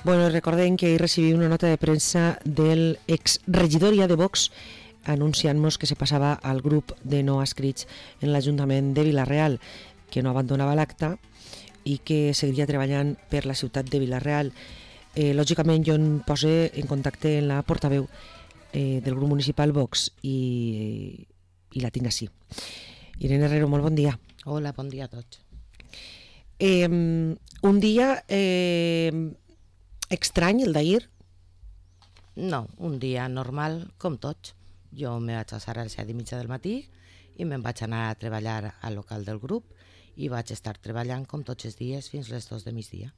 Bueno, recordem que ahir recibí una nota de premsa del exregidor ja de Vox anunciant-nos que se passava al grup de no adscrits en l'Ajuntament de Vila-real, que no abandonava l'acte i que seguiria treballant per la ciutat de Vila-real. Lògicament jo em poso en contacte amb la portaveu del grup municipal Vox i la tinc així. Irene Herrero, molt bon dia. Hola, bon dia a tots. Un dia estrany, el d'ahir? No, un dia normal, com tots. Jo me vaig alçar a les 7:30 del matí i me'n vaig anar a treballar al local del grup i vaig estar treballant com tots els dies fins les 2 de migdia.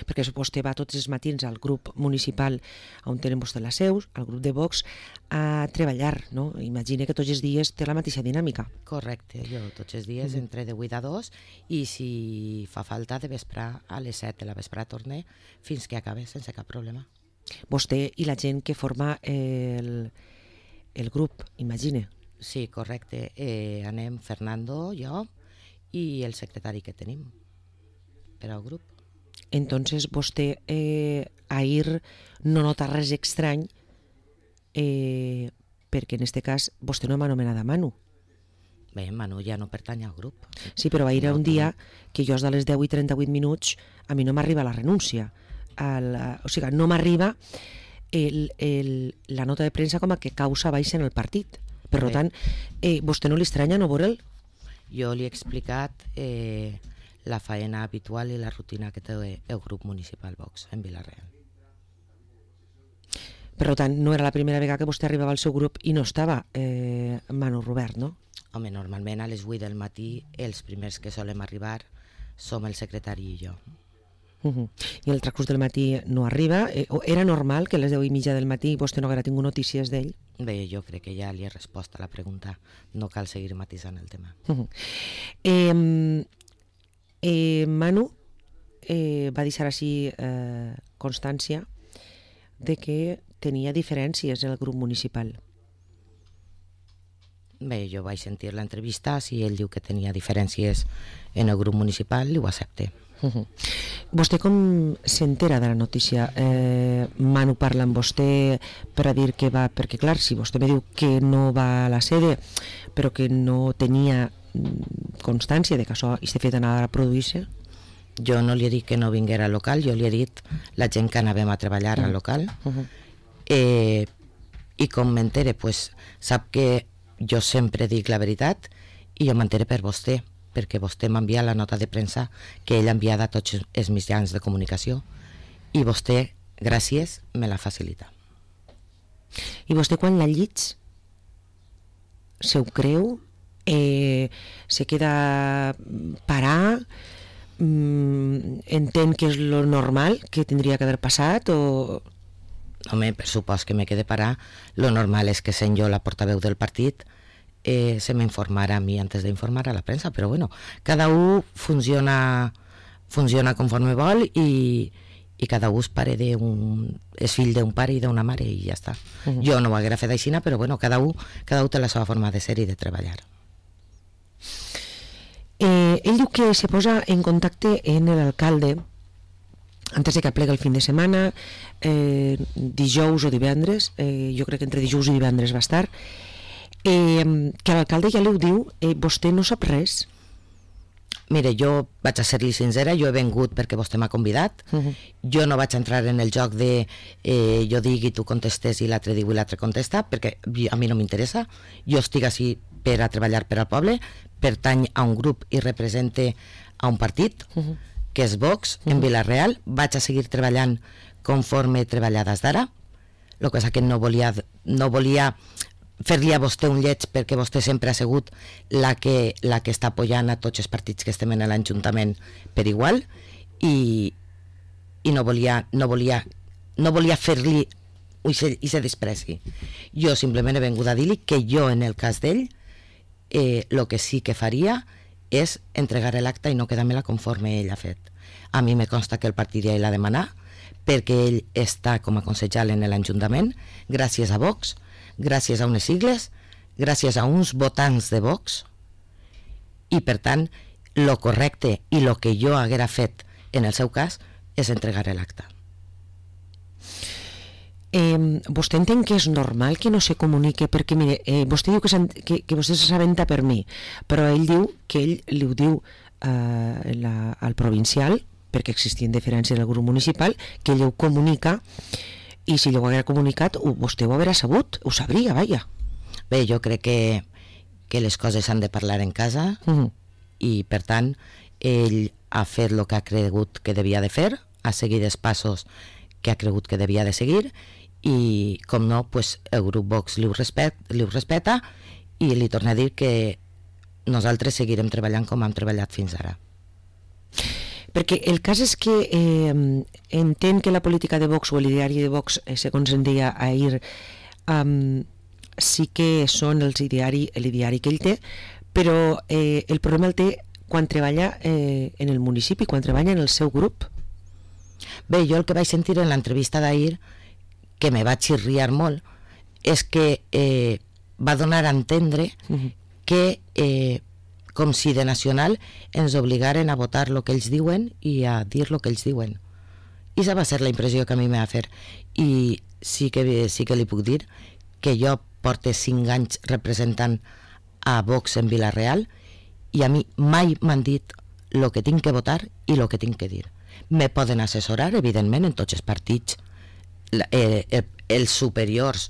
Perquè vostè va tots els matins al grup municipal on tenen vostè les seus, al grup de Vox, a treballar, no? Imagina que tots els dies té la mateixa dinàmica. Correcte, jo tots els dies entre de 8 a 2 i si fa falta de vesprar a les 7 de la vesprà torne fins que acabe sense cap problema. Vostè i la gent que forma el grup, imagine. Sí, correcte. Anem Fernando, jo i el secretari que tenim per al grup. Entonces vostè ahir no nota res estrany perquè en este cas vostè no m'ha anomenat a Manu. Bé, Manu ja no pertany al grup. Sí, però ahir era un dia que jo a les 10:38 a mi no m'arriba la renúncia. O sigui, no m'arriba la nota de premsa com a que causa baixa en el partit. Per tant, vostè no li estranya no veure'l? Jo li he explicat la faena habitual i la rutina que té el grup municipal Vox en Vila-real. Per tant, no era la primera vegada que vostè arribava al seu grup i no estava Manu Robert, no? Home, normalment a les 8 del matí els primers que solem arribar som el secretari i jo. I el transcurs del matí no arriba? Era normal que a les 10:30 del matí vostè no haguera tingut notícies d'ell? Bé, jo crec que ja li he respost a la pregunta. No cal seguir matisant el tema. Manu va deixar així constància de que tenia diferències en el grup municipal. Bé, jo vaig sentir l'entrevista, si ell diu que tenia diferències en el grup municipal, ho accepte. Vostè com s'entera de la notícia? Manu parla amb vostè per a dir que va... Perquè clar, si vostè me diu que no va a la sede però que no tenia constància de que això aquest fet anava a produir-se? Jo no li he dit que no vinguera al local, jo li he dit la gent que anàvem a treballar al local. I com m'entere, pues, sap que jo sempre dic la veritat i jo m'entere per vostè, perquè vostè m'ha enviat la nota de premsa que ell ha enviat a tots els mitjans de comunicació i vostè, gràcies, me la facilita. I vostè quan la llits se ho creu? Se queda parar? Entén que és lo normal que tindria que haver passat o... Home, per supost que me quede parar, lo normal és que sent jo la portaveu del partit se m'informarà a mi antes d'informar a la premsa, però bueno, cada un funciona conforme vol i cada un és fill d'un pare i d'una mare i ja està. Jo no ho haguera fet així, però bueno, cada un té la seva forma de ser i de treballar. Ell diu que se posa en contacte amb l'alcalde antes de que plega el fin de setmana, dijous o divendres, jo crec que entre dijous i divendres va estar, que l'alcalde ja li ho diu, vostè no sap res? Mire, jo vaig a ser-li sincera, jo he vengut perquè vostè m'ha convidat, jo no vaig entrar en el joc de jo digui i tu contestes i l'altre diu i l'altre contesta, perquè a mi no m'interessa, jo estic així per a treballar per al poble, pertany a un grup i represente a un partit, que és Vox, en Vila-real, vaig a seguir treballant conforme he treballat des d'ara, el que és que no volia fer-li a vostè un lleig perquè vostè sempre ha sigut la que està apoyant a tots els partits que estem en l'Ajuntament per igual i no volia fer-li aquest despreci. Jo simplement he vengut a dir-li que jo en el cas d'ell el que sí que faria és entregar l'acta i no quedar-me-la conforme ell ha fet. A mi me consta que el partit ja l'ha demanat perquè ell està com a consellal en l'Ajuntament gràcies a Vox, gràcies a unes sigles, gràcies a uns votants de Vox i per tant lo correcte i lo que jo haguera fet en el seu cas és entregar l'acta. Vostè entén que és normal que no se comunique? Perquè, mire, vostè diu que vostè s'assabenta per mi, però ell diu que ell li ho diu al provincial, perquè existien diferències del grup municipal, que ell ho comunica, i si ell ho haguera comunicat, vostè ho haurà sabut, ho sabria, vaja. Bé, jo crec que les coses s'han de parlar en casa, i per tant ell ha fet el que ha cregut que devia de fer, ha seguit els passos que ha cregut que devia de seguir, i com no, pues, el grup Vox li ho respeta, i li torna a dir que nosaltres seguirem treballant com hem treballat fins ara. Perquè el cas és que entén que la política de Vox o el ideari de Vox, segons en deia ahir, sí que són l'ideari que ell té, però el problema el té quan treballa en el municipi, quan treballa en el seu grup. Bé, jo el que vaig sentir en l'entrevista d'ahir, que me va xirriar molt, és que va donar a entendre que com si de nacional ens obligaren a votar el que ells diuen i a dir el que ells diuen. I esa va ser la impressió que a mi me va fer. I sí que li puc dir que jo porto 5 anys representant a Vox en Vila-real i a mi mai m'han dit el que tinc que votar i el que tinc que dir. Me poden assessorar, evidentment, en tots els partits. Els superiors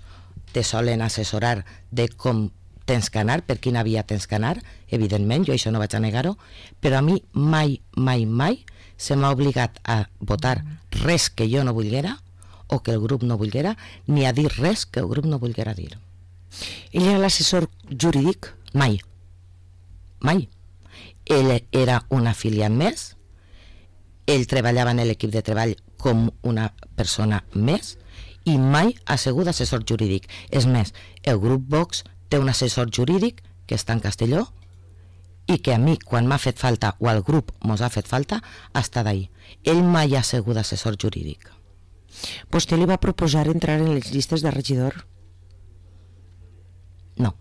te solen assessorar de com tens que anar, per quina via tens que anar, evidentment, jo això no vaig a negar-ho, però a mi mai se m'ha obligat a votar res que jo no volguera o que el grup no volguera, ni a dir res que el grup no volguera dir. Ell era l'assessor jurídic? Mai. Ell era un afiliat més, ell treballava en l'equip de treball com una persona més i mai ha sigut assessor jurídic. És més, el grup Vox té un assessor jurídic que està en Castelló i que a mi, quan m'ha fet falta o al grup mos ha fet falta, ha estat ahí. Ell mai ha sigut assessor jurídic. Vostè li va proposar entrar en les llistes de regidor? No.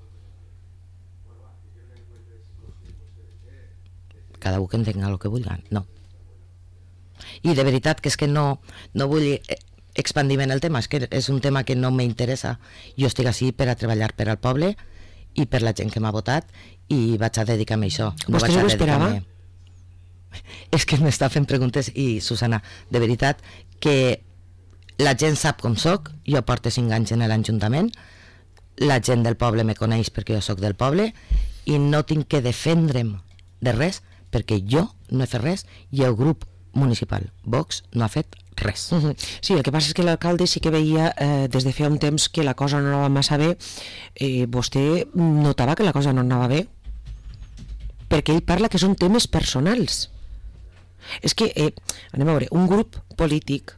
Cada un que entenga el que vulgui, no. I de veritat que és que no vull expandir en el tema, és que és un tema que no m'interessa. Jo estic així per a treballar per al poble i per la gent que m'ha votat i vaig a dedicar-me a això. Vostè no ho esperava? És que m'està fent preguntes i, Susana, de veritat que la gent sap com soc, jo porto 5 anys en l'Ajuntament, la gent del poble me coneix perquè jo soc del poble i no tinc que defendre'm de res perquè jo no he fet res i el grup municipal Vox no ha fet res. Sí, el que passa és que l'alcalde sí que veia des de feia un temps que la cosa no anava massa bé. Vostè notava que la cosa no anava bé? Perquè ell parla que són temes personals. És que, anem a veure, un grup polític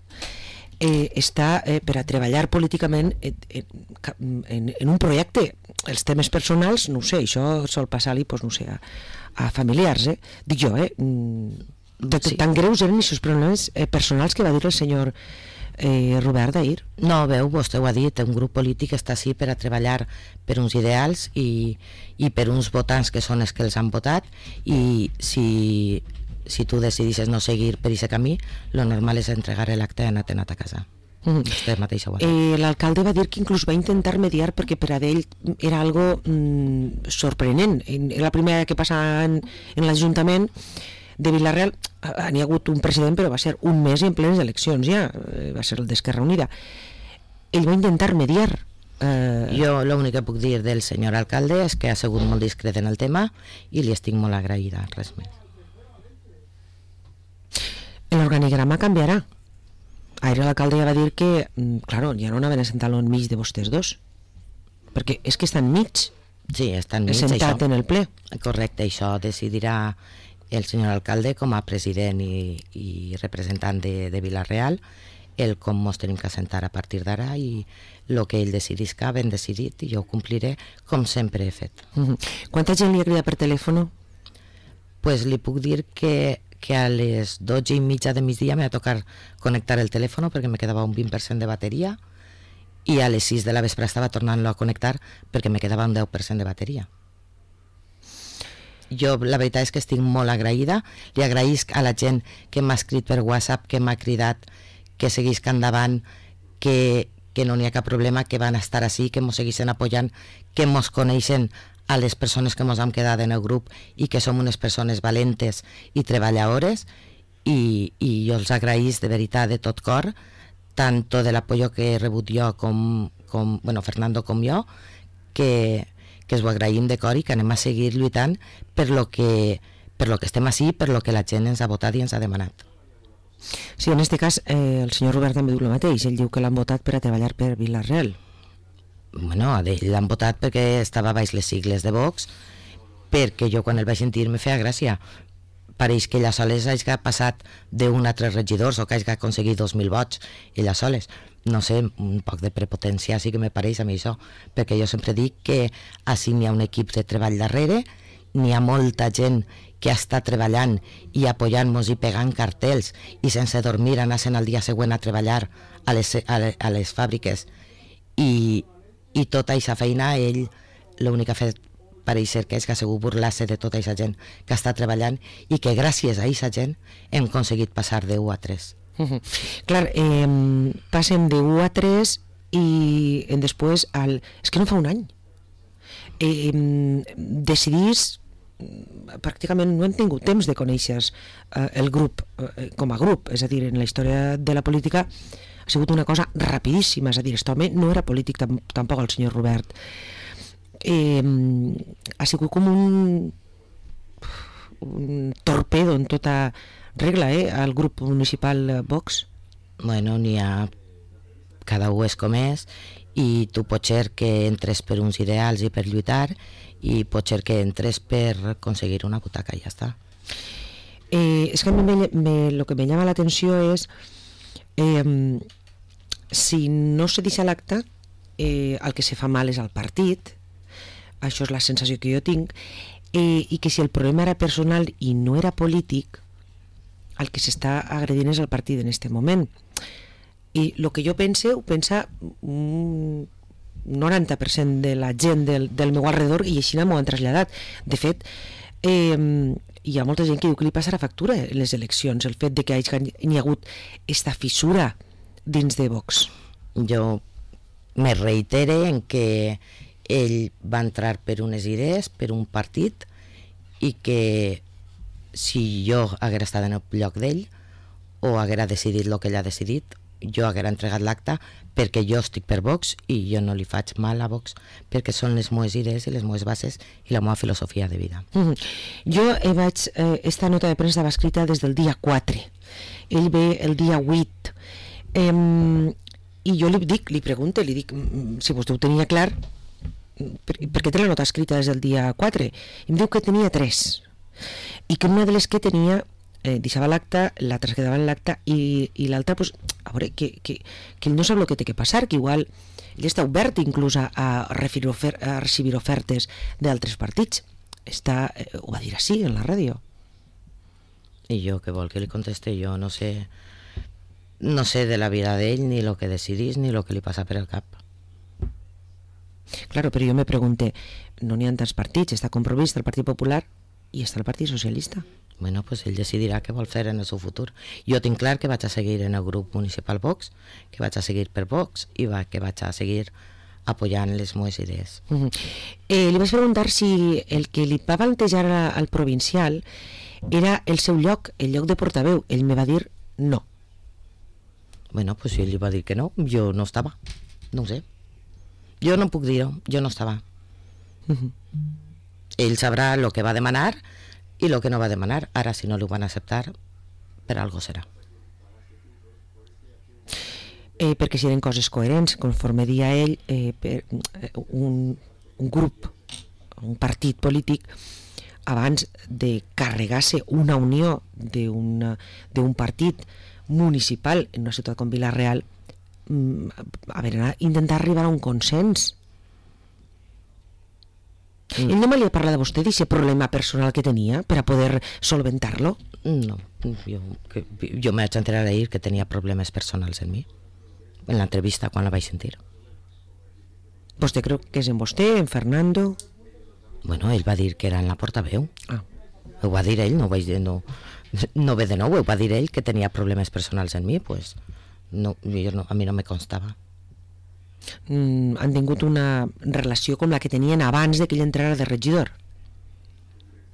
està per a treballar políticament en un projecte. Els temes personals, no ho sé, això sol passar-li, doncs, no sé, a familiars, dic jo, Sí. Tan greus eren aquests problemes personals que va dir el senyor Robert d'ahir. No, veu, vostè ho ha dit, un grup polític està així per a treballar per uns ideals i per uns votants que són els que els han votat i si tu decidisses no seguir per aquest camí, lo normal és entregar l'acte i anar-te'n a casa. Vostè mateix ho ha dit. L'alcalde va dir que inclús va intentar mediar perquè per a ell era algo sorprenent. Era la primera que passava en l'Ajuntament de Vila-real. N'hi ha hagut un president, però va ser un mes i en plenes eleccions ja, va ser el d'Esquerra Unida. Ell va intentar mediar. Jo l'únic que puc dir del senyor alcalde és que ha sigut molt discret en el tema i li estic molt agraïda, res més. L'organigrama canviarà. Ahir l'alcalde ja va dir que, claro, ja no anaven a sentar-lo enmig de vostès dos, perquè és que està enmig. Sí, està enmig, sentat això. En el ple. Correcte, això decidirà el senyor alcalde com a president i representant de Vila-real, el com ens tenim que assentar a partir d'ara i el que ell decidisca ben decidit i jo ho compliré com sempre he fet. Quanta gent li ha cridat per telèfon? Pues li puc dir que a les 12:30 de migdia m'ha tocat connectar el telèfon perquè me quedava un 20% de bateria i a les 6 de la vespre estava tornant-lo a connectar perquè me quedava un 10% de bateria. Jo la veritat és que estic molt agraïda, li agraïsc a la gent que m'ha escrit per WhatsApp, que m'ha cridat, que seguisc endavant, que que no n'hi ha cap problema, que van estar així, que mos segueixen apoyant, que mos coneixen a les persones que mos hem quedat en el grup i que som unes persones valentes i treballadores, i jo els agraïs de veritat de tot cor tant de l'apoyo que he rebut jo com Fernando com jo, que es ho agraïm de cor i que anem a seguir lluitant per lo que estem així, per lo que la gent ens ha votat i ens ha demanat. Sí, en aquest cas el senyor Robert també diu el mateix, ell diu que l'han votat per a treballar per Vila-real. Bueno, a ell l'han votat perquè estava baix les sigles de Vox, perquè jo quan el vaig sentir me feia gràcia. Pareix que ella soles hagi passat d'un a 3 regidors o que hagi aconseguit 2.000 vots, ella soles. No sé, un poc de prepotència sí que me pareix a mi això, perquè jo sempre dic que així n'hi ha un equip de treball darrere, n'hi ha molta gent que està treballant i apoyant-nos i pegant cartells i sense dormir anaven al dia següent a treballar a les fàbriques, i tota aquesta feina ell l'únic que ha fet pareix ser que és que ha sigut burlar-se de tota aquesta gent que està treballant i que gràcies a aquesta gent hem aconseguit passar de 1 a 3. Clar, passem de 1 a 3 i després és que no fa un any decidís, pràcticament no hem tingut temps de conèixer el grup com a grup, és a dir, en la història de la política ha sigut una cosa rapidíssima, és a dir, aquest home no era polític tampoc el senyor Robert, ha sigut com un torpedo en tota regla al grup municipal Vox. Bueno, n'hi ha, cada un és com és, i tu pot ser que entres per uns ideals i per lluitar, i pot ser que entres per aconseguir una butaca i ja està. És que a mi lo que me llama la atenció és si no se deixa l'acte, el que se fa mal és al partit, això és la sensació que jo tinc, i que si el problema era personal i no era polític, el que s'està agredint és el partit en aquest moment. I el que jo pense, ho pensa un 90% de la gent del meu alrededor, i així m'ho han traslladat. De fet, hi ha molta gent que diu que li passarà factura en les eleccions, el fet de que hi ha hagut esta fissura dins de Vox. Jo me reitere en que ell va entrar per unes idees, per un partit, i que si jo haguera estat en el lloc d'ell o haguera decidit el que ell ha decidit, jo haguera entregat l'acte perquè jo estic per Vox i jo no li faig mal a Vox perquè són les meves idees i les meves bases i la meva filosofia de vida. Jo esta nota de premsa va escrita des del dia 4, ell ve el dia 8, i jo li pregunto, li dic si vostè ho tenia clar, perquè té la nota escrita des del dia 4, i em diu que tenia 3 i que una de les que tenia deixava l'acte, la traslladava en l'acte, i l'altra, pues, a veure, que ell no sap el que té que passar, que igual ell està obert inclús a recibir ofertes d'altres partits. Ho va dir així en la ràdio. I jo què vol que li conteste? Jo no sé de la vida d'ell, ni el que decidís, ni el que li passa per el cap. Claro, però jo me pregunté, no n'hi ha tants partits, està Compromís, el Partit Popular i està el Partit Socialista. Bueno, pues ell decidirà què vol fer en el seu futur. Jo tinc clar que vaig a seguir en el grup municipal Vox, que vaig a seguir per Vox i que vaig a seguir apoyant les meves idees. Li vaig preguntar si el que li va plantejar al provincial era el seu lloc, el lloc de portaveu. Ell me va dir no. Bueno, pues si ell li va dir que no, jo no estava. No ho sé. Jo no puc dir-ho, jo no estava. Ell sabrà el que va demanar i el que no va demanar. Ara, si no li ho van acceptar, per algo serà. Perquè si eren coses coherents, conforme dia ell, per un grup, un partit polític, abans de carregar-se una unió d'un partit municipal en una ciutat com Vila-real, intentar arribar a un consens. Ell no me li ha parlat a vostè d'aquest problema personal que tenia per a poder solventar-lo? No, jo me vaig enterar ahir que tenia problemes personals en mi, en l'entrevista quan la vaig sentir. Vostè creu que és en vostè, en Fernando? Bueno, ell va dir que era en la portaveu. Ho va dir ell, no ve de nou, ho va dir ell que tenia problemes personals en mi, pues a mi no me constava. han tingut una relació com la que tenien abans de que ell entrara de regidor.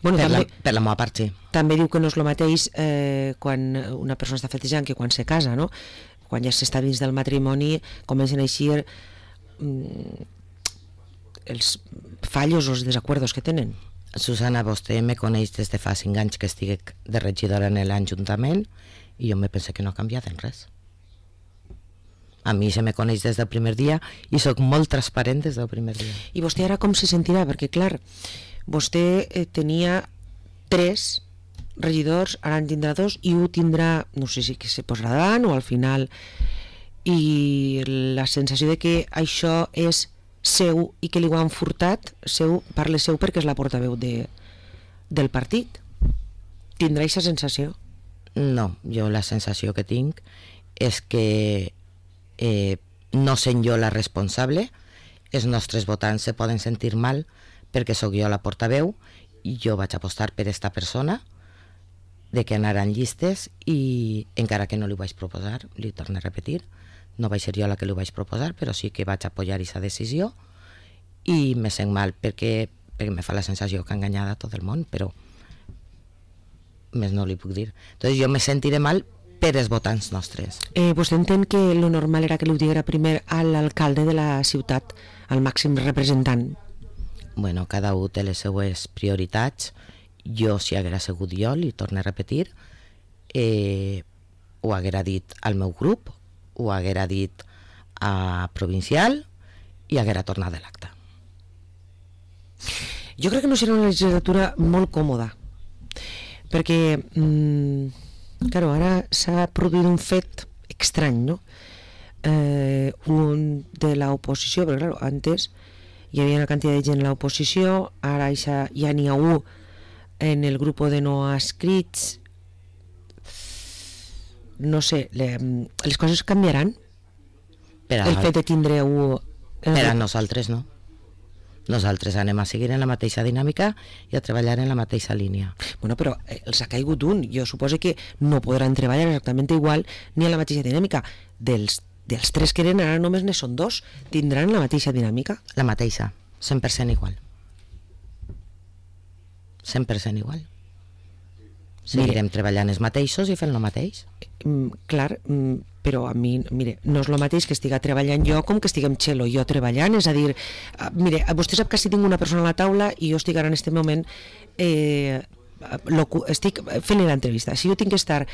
Bueno, per la meva part, sí. També diu que no és el mateix quan una persona està fetejant que quan se casa, no? Quan ja s'està dins del matrimoni comencen a eixir els fallos o els desacuerdos que tenen. Susana, vostè me coneix des de fa 5 anys que estic de regidora en l'Ajuntament i jo me penso que no ha canviat en res. A mi se me coneix des del primer dia i sóc molt transparent des del primer dia. I vostè ara com se sentirà? Perquè, clar, vostè tenia 3 regidors, ara en tindrà 2 i un tindrà, no sé si que se posarà davant o al final, i la sensació de que això és seu i que li ho han furtat, parle seu perquè és la portaveu del partit. Tindrà aquesta sensació? No, jo la sensació que tinc és que no sent jo la responsable, els nostres votants se poden sentir mal perquè sóc jo la portaveu i jo vaig apostar per esta persona de que anaran llistes i encara que no li ho vaig proposar, li torno a repetir, no vaig ser jo la que li ho vaig proposar, però sí que vaig apoyar aquesta decisió i me sent mal perquè me fa la sensació que ha enganyat a tot el món, però més no li puc dir. Entonces jo me sentiré mal per els votants nostres. Vostè entén que lo normal era que li ho diguera primer a l'alcalde de la ciutat, al màxim representant? Bueno, cada un té les seues prioritats. Jo, si haguera sigut jo, li torno a repetir, ho haguera dit al meu grup, ho haguera dit a provincial i haguera tornat de l'acte. Jo crec que no serà una legislatura molt còmoda, perquè claro, ara s'ha produït un fet estrany, no? Un de l'oposició, perquè claro, antes hi havia una quantitat de gent a l'oposició, ara ja n'hi ha un en el grup de no adscrits. No sé, les coses canviaran? El fet de tindre un... Per a nosaltres no. Nosaltres anem a seguir en la mateixa dinàmica i a treballar en la mateixa línia. Bueno, però els ha caigut un. Jo suposo que no podran treballar exactament igual ni en la mateixa dinàmica. Dels 3 que eren, ara només ne són 2. Tindran la mateixa dinàmica? La mateixa, 100% igual. 100% igual. Seguirem treballant els mateixos i fent el mateix. Clar, però a mi, mire, no és el mateix que estiga treballant jo com que estiguem Txelo i jo treballant, és a dir, mire, vostè sap que si tinc una persona a la taula i jo estic ara en aquest moment estic fent l'entrevista, si jo tinc que estar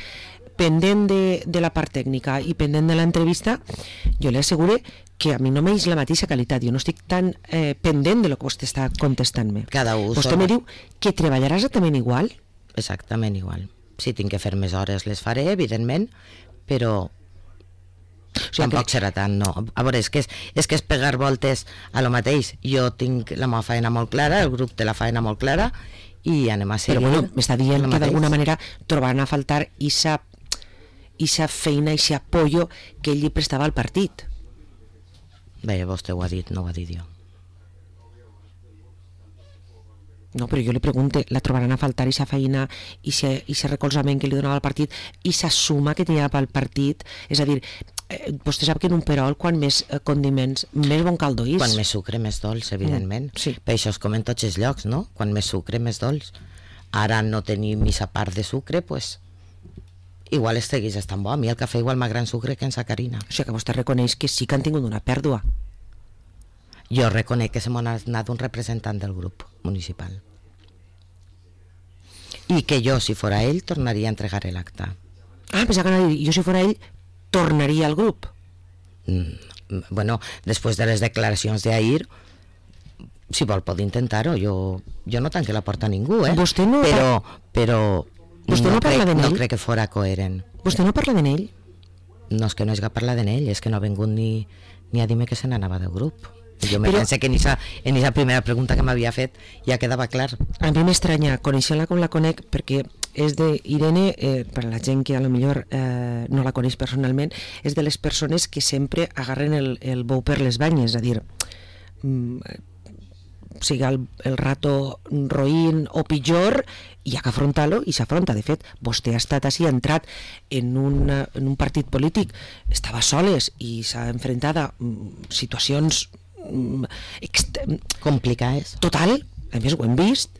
pendent de la part tècnica i pendent de l'entrevista, jo li asseguro que a mi no m'eix la mateixa qualitat, jo no estic tan pendent de lo que vostè està contestant-me. Vostè me diu que treballarà exactament igual? Exactament igual. Si tinc que fer més hores les faré, evidentment, però tampoc serà tant, no. A veure, és que és pegar voltes a lo mateix. Jo tinc la meva feina molt clara, el grup té la feina molt clara i anem a seguir. Però bueno, m'està dient que d'alguna manera trobaran a faltar ixa feina, ixa apoyo que ell li prestava al partit. Bé, vostè ho ha dit, no ho ha dit jo. No, però jo li pregunto, la trobaran a faltar ixa feina, ixa recolzament que li donava al partit, ixa suma que tenia pel partit, és a dir, vostè sap que en un perol, quan més condiments, més bon caldo és. Quan més sucre, més dolç, evidentment. Sí. Per això es com en tots els llocs, no? Quan més sucre, més dolç. Ara no tenim aquesta part de sucre, pues igual estigués estan bo. A mi el cafè igual m'ha gran sucre que en sacarina. O sigui que vostè reconeix que sí que han tingut una pèrdua. Jo reconec que se m'ha anat un representant del grup municipal. I que jo, si fora ell, tornaria a entregar l'acte. Pensava que jo, si fora ell, tornaria al grup. Bueno, després de les declaracions d'ahir, si vol pot intentar-ho. Jo no tanque la porta a ningú, Vostè no... Però vostè no parla de no n'ell? crec que fora coherent. Vostè no parla de n'ell? No és que no hagi parlat de n'ell, és que no ha vingut ni a dir-me que se n'anava del grup. Jo me pense que en esa primera pregunta que m'havia fet ja quedava clar. A mi m'estranya, conèixer-la com la conec, perquè és de Irene, per a la gent que a lo millor no la coneix personalment, és de les persones que sempre agarren el bou per les banyes, és a dir, sigui el rato roïn o pitjor, hi ha que afrontar-lo i s'afronta. De fet, vostè ha estat així, ha entrat en un partit polític, estava soles i s'ha enfrontat a situacions complicades. Total, a més ho hem vist,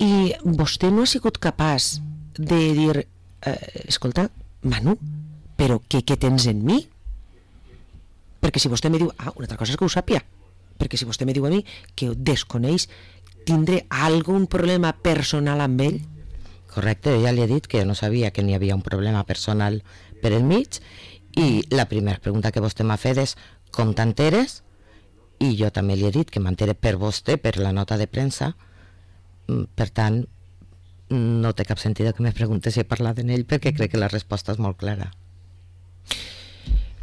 i vostè no ha sigut capaç de dir escolta, Manu, però què tens en mi? Perquè si vostè me diu, una altra cosa és que ho sàpia, perquè si vostè me diu a mi que ho desconeix, tindré algun problema personal amb ell? Correcte, ja li he dit que jo no sabia que n'hi havia un problema personal per el mig, i la primera pregunta que vostè m'ha fet és com t'enteres, i jo també li he dit que m'entere per vostè, per la nota de premsa. Per tant, no té cap sentit que me pregunte si he parlat d'ell, perquè crec que la resposta és molt clara.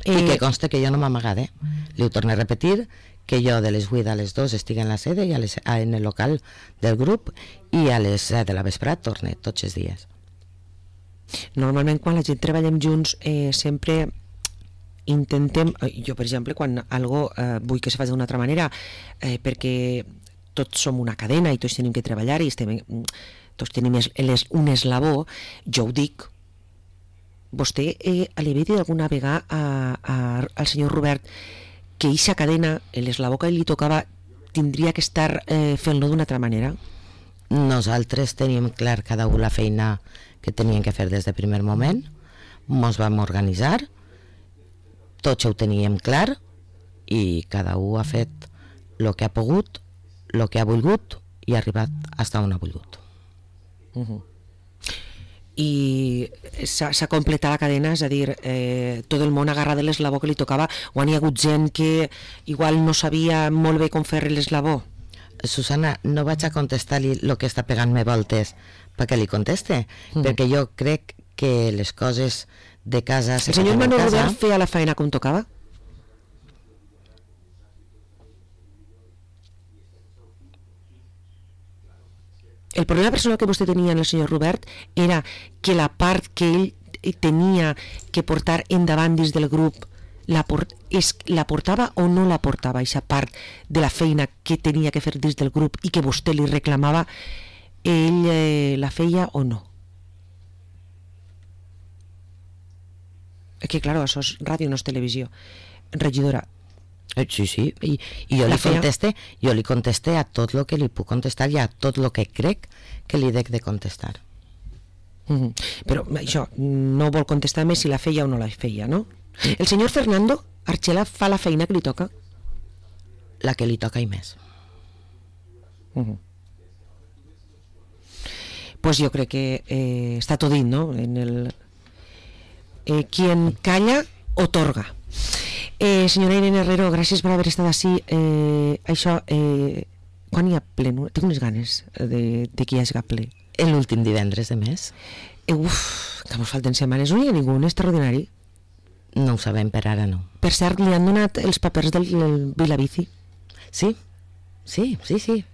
I que conste que jo no m'he amagat, li ho torno a repetir, que jo de les 8 a les 2 estic en la sede i en el local del grup, i a les 7 de la vesprada torne tots els dies. Normalment quan la gent treballem junts sempre intentem, jo per exemple quan algo vull que se faci d'una altra manera, perquè tots som una cadena i tots tenim que treballar i tots tenim un eslabó, jo ho dic. Vostè li havia dit alguna vegada al senyor Robert que eixa cadena, l'eslabó que li tocava, tindria que estar fent-lo d'una altra manera? Nosaltres teníem clar cada un la feina que teníem que fer des del primer moment, ens vam organitzar, tots ho teníem clar i cada un ha fet el que ha pogut, el que ha volgut i ha arribat fins on ha volgut. I s'ha completat la cadena, és a dir, tot el món agarra de l'eslabó que li tocava, o hi ha hagut gent que igual no sabia molt bé com fer l'eslabó? Susana, no vaig a contestar-li el que està pegant-me voltes perquè li conteste, perquè jo crec que les coses de casa... El senyor Manu Robert feia la feina com tocava? El problema personal que vostè tenia en el senyor Robert era que la part que ell tenia que portar endavant dins del grup la portava o no la portava, aquesta part de la feina que tenia que fer dins del grup i que vostè li reclamava, ell la feia o no? Que claro, això és ràdio, no és televisió. Regidora, sí, i jo li contesté a tot el que li puc contestar i a tot el que crec que li dec de contestar. Però això, no vol contestar més si la feia o no la feia, no? El senyor Fernando Archela fa la feina que li toca? La que li toca i més. Pues jo crec que està tot dit, no? Quien calla, otorga. Senyora Irene Herrero, gràcies per haver estat així. Això, quan hi ha ple? Tinc unes ganes de que hi hagi ple. L'últim divendres de mes. Que mos falten setmanes. No hi ha ningú extraordinari? No ho sabem, per ara no. Per cert, li han donat els papers del Vilabici? Sí.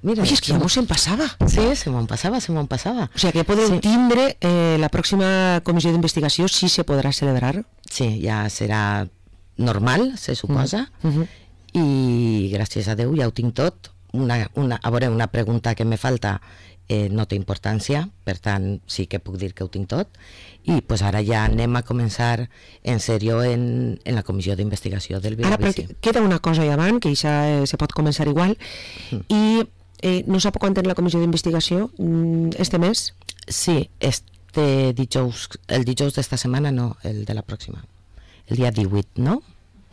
Mira, és que ja mos en passava. Sí, se m'en passava. O sigui que podeu tindre la pròxima comissió d'investigació, si se podrà celebrar. Sí, ja serà normal, se suposa, i gràcies a Déu ja ho tinc tot. A veure, una pregunta que me falta no té importància, per tant sí que puc dir que ho tinc tot, i pues ara ja anem a començar en sèrio en la comissió d'investigació del Vilabici. Ara queda una cosa allà davant, que això se pot començar igual, i no sap quan té la comissió d'investigació este mes? Sí, el dijous d'esta setmana no, el de la pròxima, el dia 18, no?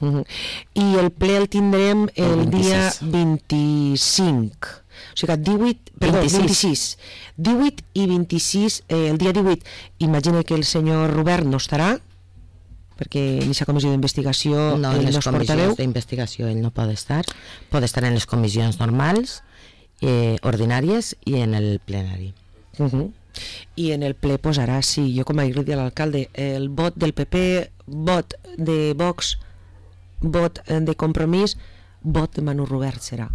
I el ple el tindrem el dia 25, o sigui, 26. 18 i 26, el dia 18 imagina que el senyor Robert no estarà, perquè en aquesta comissió d'investigació no, en les comissions d'investigació ell no pot estar en les comissions normals, ordinàries i en el plenari. I en el ple posarà, sí, jo com a dit a l'alcalde, el vot del PP, vot de Vox, vot de Compromís, vot de Manu Robert serà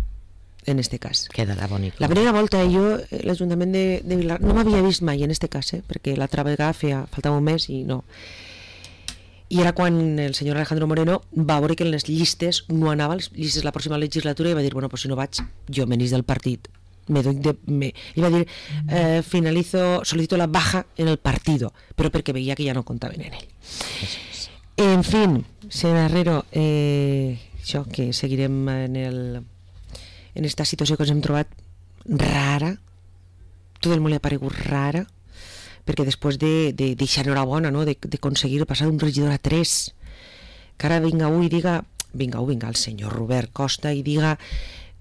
en este cas. Quedarà bonic. La primera volta jo, l'Ajuntament de Vilar, no m'havia vist mai en este cas, perquè l'altra vegada faltava un mes i no. I era quan el senyor Alejandro Moreno va veure que en les llistes no anava, les llistes la pròxima legislatura, i va dir, bueno, pues si no vaig, jo me n'ix del partit. I va dir, solicito la baja en el partido, però perquè veia que ja no comptaven en ell. En fin, señor Herrero, això, que seguirem en esta situació que ens hem trobat rara, tot el món li ha paregut rara, perquè després de deixar enhorabona, no? d'aconseguir passar d'un regidor a 3, que ara vinga el senyor Robert Costa i diga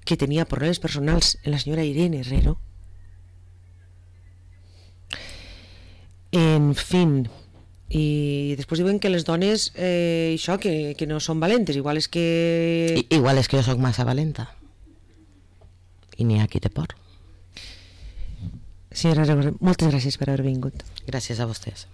que tenia problemes personals en la senyora Irene Herrero. En fin, i després diuen que les dones això, que no són valentes, igual és que jo sóc massa valenta i n'hi ha qui té por. Senyora Herrero, moltes gràcies per haver vingut. Gràcies a vostès.